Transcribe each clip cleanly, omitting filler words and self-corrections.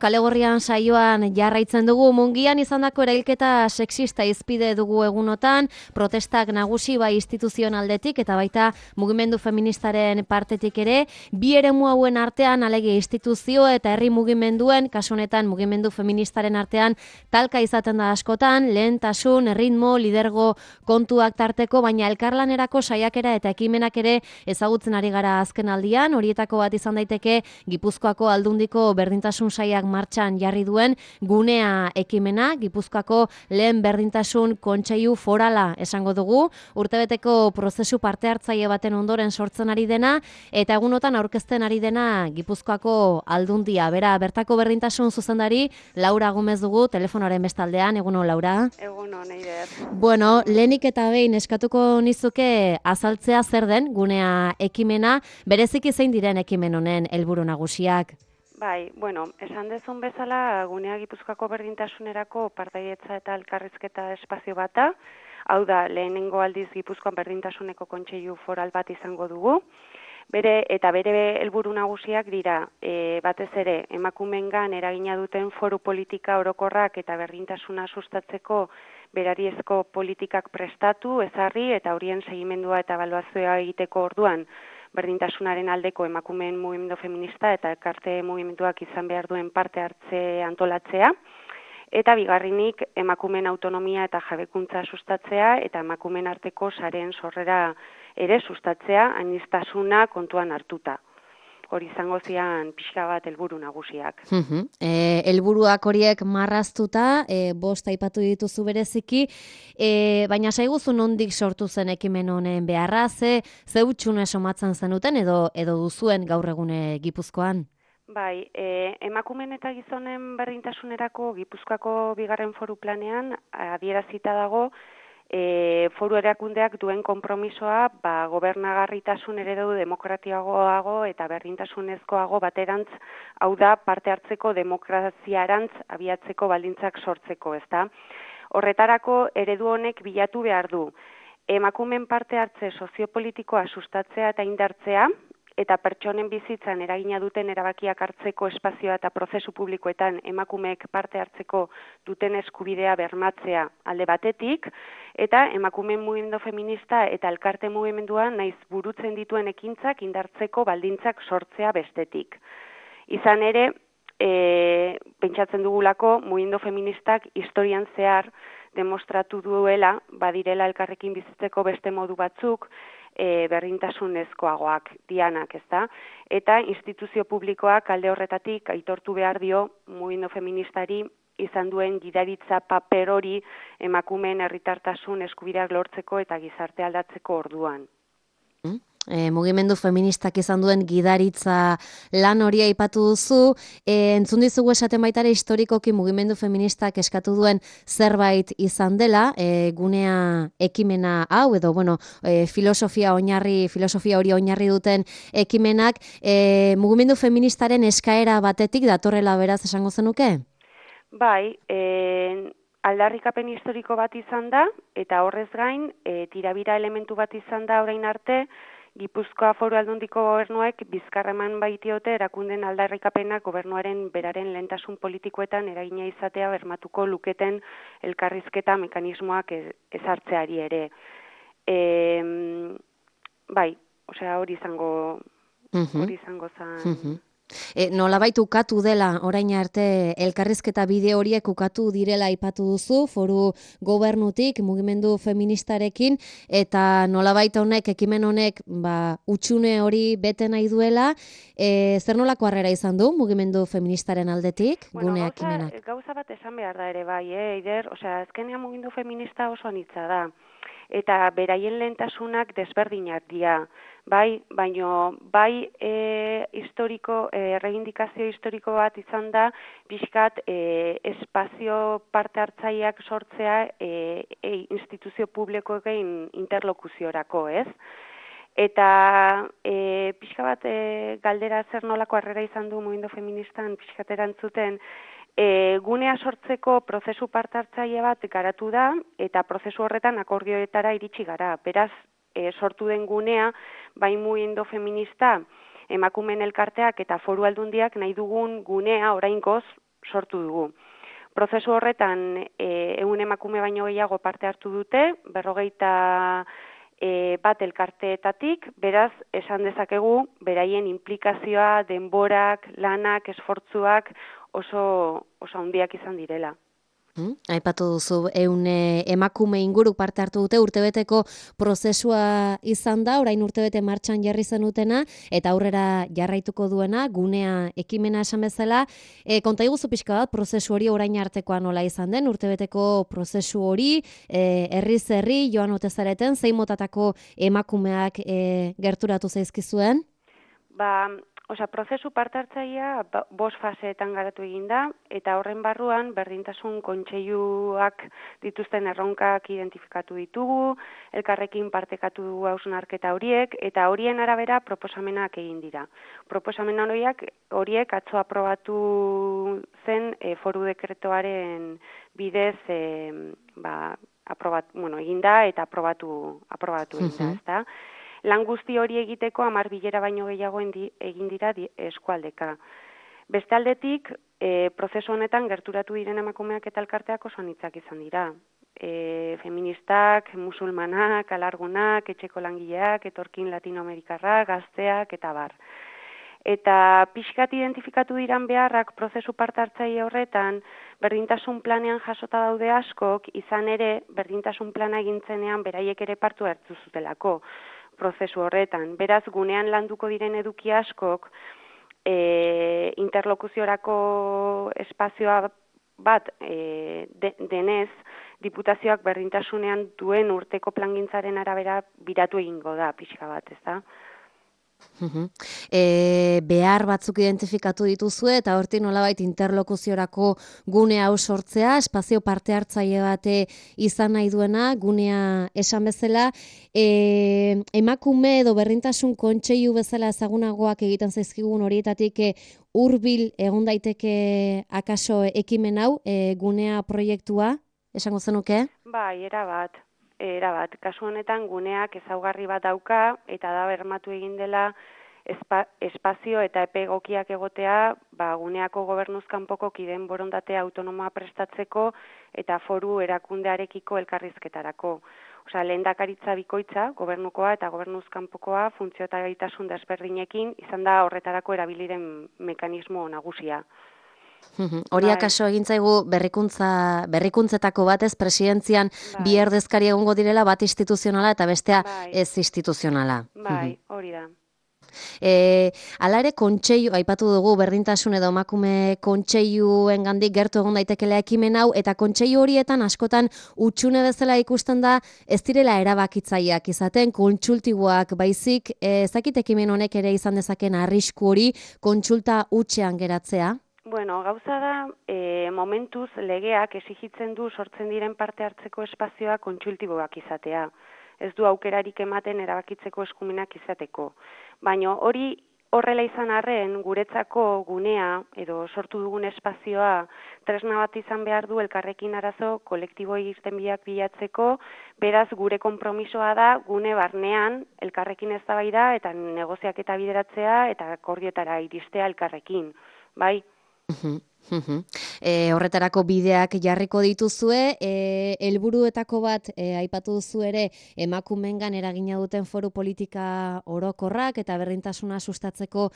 Kalegorrian saioan jarraitzen dugu mungian izandako erailketa sexista izpide dugu egunotan, protestak nagusi bai instituzioen aldetik eta baita mugimendu feministaren partetik ere, bi eremu hauen artean alegia instituzio eta herri mugimenduen, kasu honetan mugimendu feministaren artean talka izaten da askotan, lehentasun, ritmo, lidergo kontuak tarteko, baina elkarlanerako saiakera eta ekimenak ere ezagutzen ari gara azken aldian, horietako bat izan daiteke Gipuzkoako Aldundiko berdintasun saiak martxan jarri duen gunea ekimena, Gipuzkoako lehen berdintasun kontseilu forala esango dugu, urtebeteko prozesu parte hartzaile baten ondoren sortzen ari dena, eta egunotan aurkezten ari dena Gipuzkoako Aldundia. Bera, bertako berdintasun zuzendari Laura Gomez dugu telefonoaren bestaldean. Egunon, Laura? Egunon, Eider. Bueno, lehenik eta behin eskatuko nizuke azaltzea zer den gunea ekimena, bereziki zein diren ekimen honen helburu nagusiak? Bai, bueno, esan dezun bezala, gunea Gipuzkoako berdintasunerako partaidetza eta elkarrizketa espazio bata, hau da, lehenengo aldiz Gipuzkoan berdintasuneko kontseilu foral bat izango dugu, bere helburu nagusiak dira, batez ere, emakumeengan eragina duten foru politika orokorrak eta berdintasuna sustatzeko berariezko politikak prestatu, ezarri eta horien segimendua eta ebaluazioa egiteko orduan, berdintasunaren aldeko emakumeen mugimendu feminista eta elkarte mugimenduak izan behar duen parte hartze antolatzea, eta bigarrenik emakumeen autonomia eta jabekuntza sustatzea eta emakumeen arteko sareen sorrera ere sustatzea, aniztasuna kontuan hartuta. Hori izango zian pixka bat helburu nagusiak. Helburuak horiek marraztuta, bost aipatu dituzu bereziki, baina saiguzu nondik sortu zen ekimen honen beharra, ze utxune somatzen zenuten edo duzuen gaur egune Gipuzkoan? Bai, emakumeen eta gizonen berdintasunerako Gipuzkoako bigarren foru planean adierazita dago foru erakundeak duen konpromisoa gobernagarritasun eredu demokratiagoago eta berdintasunezkoago baterantz, hau da parte hartzeko demokraziarantz abiatzeko baldintzak sortzeko, ezta? Horretarako eredu honek bilatu behar du emakumeen parte hartze soziopolitikoa sustatzea eta indartzea, eta pertsonen bizitzan eragina duten erabakiak hartzeko espazioa eta prozesu publikoetan emakumeek parte hartzeko duten eskubidea bermatzea alde batetik, eta emakumeen mugimendu feminista eta elkarte mugimendua naiz burutzen dituen ekintzak indartzeko baldintzak sortzea bestetik. Izan ere, pentsatzen dugulako mugimendu feministak historian zehar demostratu duela, badirela elkarrekin bizitzeko beste modu batzuk, berdintasunezkoagoak dianak, ezta? Eta instituzio publikoak alde horretatik aitortu behar dio mugimendu feministari izan duen gidaritza paper hori emakumeen herritartasun eskubideak lortzeko eta gizarte aldatzeko orduan. Mugimendu feministak izan duen gidaritza lan hori aipatu duzu, entzun dizugu esaten baitare historikoki mugimendu feministak eskatu duen zerbait izan dela, gunea ekimena hau, edo filosofia hori oinarri duten ekimenak, mugimendu feministaren eskaera batetik datorrela beraz esango zenuke? Bai, aldarrikapen historiko bat izan da, eta horrez gain, tirabira elementu bat izan da orain arte, Gipuzkoa Foru Aldundiko gobernuek bizkarreman baitiote erakunden aldarrikapenak gobernuaren beraren lehentasun politikoetan eragina izatea bermatuko luketen elkarrizketa mekanismoak ezartzeari ere. Bai, hori izango zen. Nolabait ukatu dela orain arte elkarrizketa bide horiek ukatu direla aipatu duzu, foru gobernutik, mugimendu feministarekin, eta nolabait ekimen honek utxune hori bete nahi duela, zer nolako harrera izan du mugimendu feministaren aldetik, gune ekimenak? Gauza bat esan behar da ere bai, Eider, azkenean mugimendu feminista oso anitza da, eta beraien lehentasunak desberdinak dira. Baina erreindikazio historiko bat izan da, pixkat espazio parte hartzaileak sortzea instituzio publikoekin interlokuziorako, ez? Eta pixka bat galdera zer nolako harrera izan du mugimendu feministan pixkat erantzuten, gunea sortzeko prozesu parte hartzaile bat garatu da, eta prozesu horretan akordioetara iritsi gara. Beraz, sortu den gunea, bai mugimendu feminista, emakumeen elkarteak eta foru aldundiak nahi dugun gunea oraingoz sortu dugu. Prozesu horretan 100 emakume baino gehiago parte hartu dute, 51 bat elkarteetatik, beraz, esan dezakegu, beraien implikazioa, denborak, lanak, esfortzuak oso handiak izan direla. Aipatu duzu, 100 emakume inguru parte hartu dute, urtebeteko prozesua izan da, orain urtebete martxan jarri zenutena, eta aurrera jarraituko duena, gunea ekimena esan bezala. Konta iguzu pixka bat, prozesu hori orain artekoa nola izan den, urtebeteko prozesu hori, herriz herri, joan ote zareten, zein motatako emakumeak gerturatu zaizkizuen? Prozesu parte hartzailea 5 faseetan garatu egin da, eta horren barruan berdintasun kontseiluak dituzten erronkak identifikatu ditugu, elkarrekin partekatu dugu hausnarketa horiek, eta horien arabera proposamenak egin dira. Proposamen horiek atzo aprobatu zen foru dekretoaren bidez egin da eta aprobatu egin da, ezta? Lan guzti hori egiteko 10 bilera baino gehiago egin dira eskualdeka. Beste aldetik, prozesu honetan gerturatu diren emakumeak eta elkarteak oso anitzak izan dira. Feministak, musulmanak, alargunak, etxeko langileak, etorkin latinoamerikarrak, gazteak eta bar. Eta pixkat identifikatu diran beharrak prozesu parte hartzaile horretan, berdintasun planean jasota daude askok, izan ere berdintasun plana egintzenean beraiek ere partu hartu zutelako prozesu horretan. Beraz, gunean landuko diren eduki askok interlokuziorako espazioa bat denez, diputazioak berdintasunean duen urteko plangintzaren arabera biratu egingo da pixka bat, ez da? Behar batzuk identifikatu dituzue eta hortik nolabait interlokuziorako gune hau sortzea, espazio parte hartzaile bate izan nahi duena, gunea esan bezala, emakume edo berdintasun kontseilu bezala ezagunagoak egiten zaizkigun horietatik hurbil egon daiteke akaso ekimen hau, gunea proiektua, esango zenuke? Bai, erabat. Kasu honetan guneak ezaugarri bat dauka eta da bermatu egin dela espazio eta epe egokiak egotea guneako gobernuzkanpoko kideen borondatea autonomoa prestatzeko eta foru erakundearekiko elkarrizketarako. Lehendakaritza bikoitza, gobernukoa eta gobernuzkanpokoa funtzio eta gaitasun desberdinekin izan da horretarako erabiliren mekanismo nagusia. Hori akaso egintzaigu berrikuntzetako batez presidentzian bi erdezkari egongo direla, bat instituzionala eta bestea ez instituzionala. Bai, hori da. Hala ere kontseilu, aipatu dugu berdintasun edo emakume kontseiluengandik gertu egon daitekela ekimen hau, eta kontseilu horietan askotan hutsune bezala ikusten da ez direla erabakitzaileak izaten, kontsultiboak baizik, ezakit ekimen honek ere izan dezaken arrisku hori kontsulta hutsean geratzea? Gauza da, momentuz legeak exigitzen du sortzen diren parte hartzeko espazioa kontsultiboak izatea. Ez du aukerarik ematen erabakitzeko eskumenak izateko. Baina hori horrela izan arren, guretzako gunea edo sortu dugun espazioa tresna bat izan behar du elkarrekin arazo kolektibo irtenbideak bilatzeko, beraz gure konpromisoa da gune barnean elkarrekin eztabaida eta negoziaketa bideratzea eta akordioetara iristea elkarrekin, bai? Horretarako bideak jarriko dituzue, helburuetako bat aipatu duzu ere emakumeengan eragina duten foru politika orokorrak eta berdintasuna sustatzeko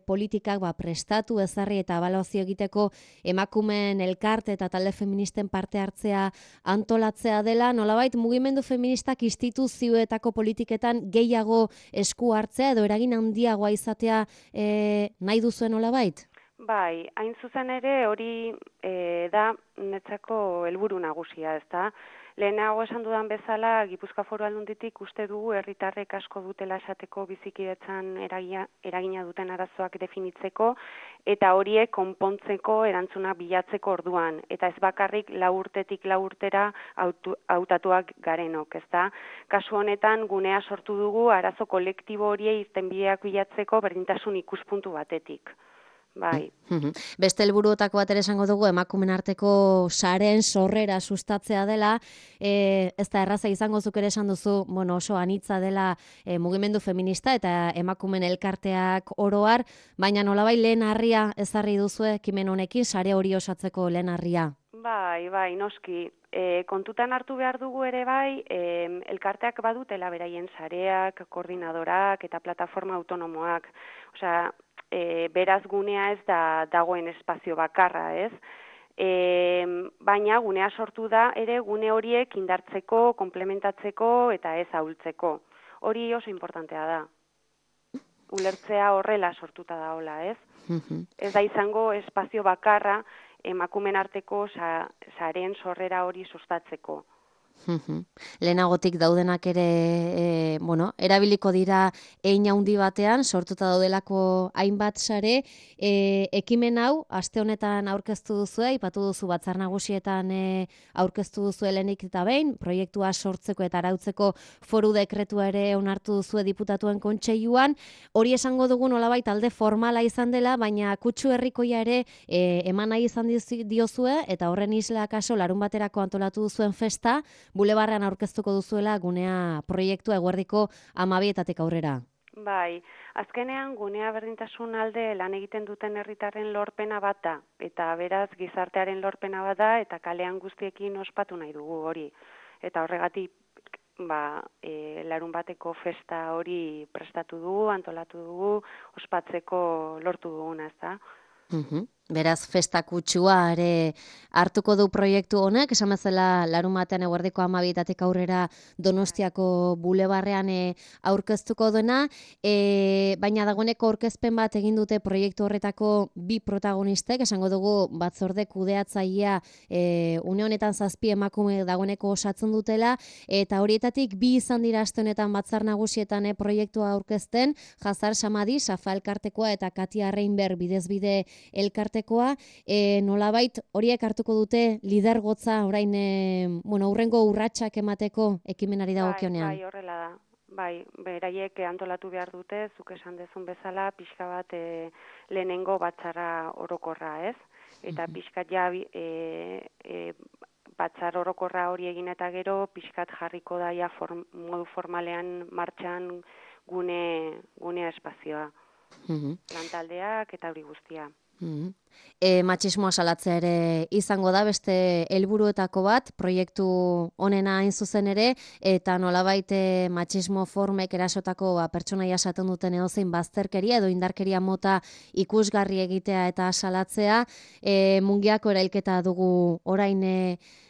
politikak prestatu, ezarri eta ebaluazio egiteko emakumeen elkarte eta talde feministen parte hartzea antolatzea dela, nolabait mugimendu feministak instituzioetako politiketan gehiago esku hartzea edo eragin handiagoa izatea nahi duzuen nolabait? Bai, hain zuzen ere hori da netzako helburu nagusia, ezta? Lehenago esan dudan bezala, Gipuzkoa Foru Aldunditik uste dugu herritarrek asko dutela esateko bizikidetzan eragina duten arazoak definitzeko eta horiek konpontzeko erantzuna bilatzeko orduan. Eta ez bakarrik 4 urtetik 4 urtera hautatuak garenok, ezta? Kasu honetan gunea sortu dugu arazo kolektibo horiei irtenbideak bilatzeko berdintasun ikuspuntu batetik. bai. Beste helburuotako bat ere esango dugu emakumen arteko sareen sorrera sustatzea dela, ez da erraza izango zuk ere esan duzu, oso anitza dela mugimendu feminista eta emakumen elkarteak oroar, baina nolabait lehen harria ezarri duzu ekimen honekin sare hori osatzeko lehen harria. Bai, noski. Kontutan hartu behar dugu ere bai, elkarteak badutela beraien sareak, koordinadorak eta plataforma autonomoak. Osea, beraz gunea ez da dagoen espazio bakarra, ez? Baina gunea sortu da ere gune horiek indartzeko, komplementatzeko eta ez ahultzeko. Hori oso importantea da. Ulertzea horrela sortuta da hola, ez? Ez da izango espazio bakarra emakumen arteko sareen sorrera hori sustatzeko. Lehenagotik daudenak ere, erabiliko dira hein handi batean, sortuta daudelako hainbat sare, ekimen hau, aste honetan aurkeztu duzu, aipatu duzu Batzar Nagusietan aurkeztu duzu helenik eta behin, proiektua sortzeko eta arautzeko foru dekretua ere onartu duzu diputatuen kontseiluan, hori esango dugu nolabait alde formala izan dela, baina kutsu herrikoia ere eman nahi izan diozue, eta horren isla kaso larun baterako antolatu duzuen festa, Bulebarrean aurkeztuko duzuela gunea proiektua eguerdiko 12 aurrera. Bai, azkenean gunea berdintasun alde lan egiten duten herritarren lorpena bat da, eta beraz gizartearen lorpena bat da, eta kalean guztiekin ospatu nahi dugu hori. Eta horregatik, larun bateko festa hori prestatu dugu, antolatu dugu, ospatzeko lortu duguna, ez da? Beraz, festa kutsua ere hartuko du proiektu honek, esan bezala larun batean eguerdiko 12 aurrera Donostiako bulebarrean aurkeztuko duena, baina dagoeneko aurkezpen bat egin dute proiektu horretako bi protagonistek, esango dugu batzorde kudeatzailea une honetan 7 emakume dagoeneko osatzen dutela, eta horietatik bi izan dira aste honetan Batzar Nagusietan proiektua aurkezten, Jazar Samadi, Safa elkartekoa eta Katia Reinberg bidezbide elkartekoa, nolabait horiek hartuko dute lidergotza orain hurrengo urratsak emateko ekimenari dagokionean. Bai, horrela da. Bai, beraiek antolatu behar dute, zuk esan dezun bezala, pixka bat lehenengo batzarra orokorra, ez? Eta pixkat ja batzar orokorra hori egin eta gero, pixkat jarriko daia modu formalean martxan gunea espazioa. Lantaldeak eta hori guztia. Matxismoa salatzea ere izango da beste helburuetako bat, proiektu honena hain zuzen ere, eta nolabait matxismo formek erasotako pertsonaia esaten duten edozein bazterkeria edo indarkeria mota ikusgarri egitea eta salatzea, Mungiako erailketa dugu orain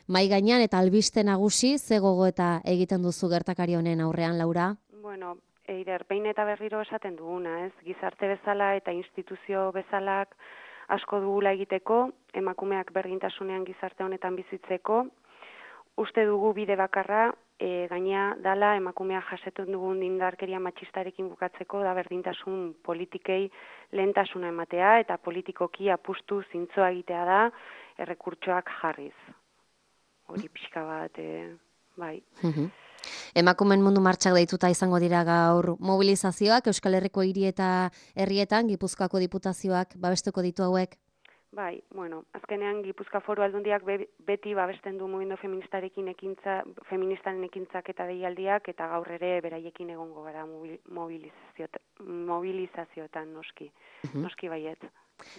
mahai gainean eta albiste nagusi ze gogoeta egiten duzu gertakari honen aurrean, Laura? Bueno, Eider, behin eta berriro esaten duguna, ez? Gizarte bezala eta instituzio bezalak asko dugula egiteko, emakumeak berdintasunean gizarte honetan bizitzeko. Uste dugu bide bakarra, gainea dala emakumea jasetun dugun indarkeria matxistarekin bukatzeko da berdintasun politikei lehentasuna ematea eta politikoki apustu zintzoa egitea da errekurtsoak jarriz. Hori pixka bat, bai. Emakumen mundu martxak deituta izango dira gaur mobilizazioak, Euskal Herriko hiri eta herrietan, Gipuzkoako diputazioak babestuko ditu hauek? Bai, azkenean Gipuzkoa Foru Aldundiak beti babesten du mugimendu feministaren ekintzak eta deialdiak, eta gaur ere beraiekin egongo gara mobilizazioetan noski baiet.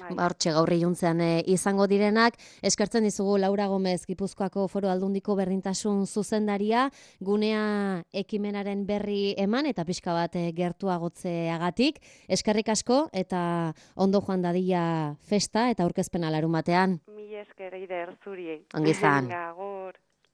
Hortxe gaur iluntzean izango direnak, eskertzen dizugu Laura Gomez, Gipuzkoako Foru Aldundiko berdintasun zuzendaria, gunea ekimenaren berri eman eta pixka bat gertuagotzeagatik. Eskerrik asko eta ondo joan dadila festa eta aurkezpena larun batean. Mila esker, Eider, zuri. Ongi izan.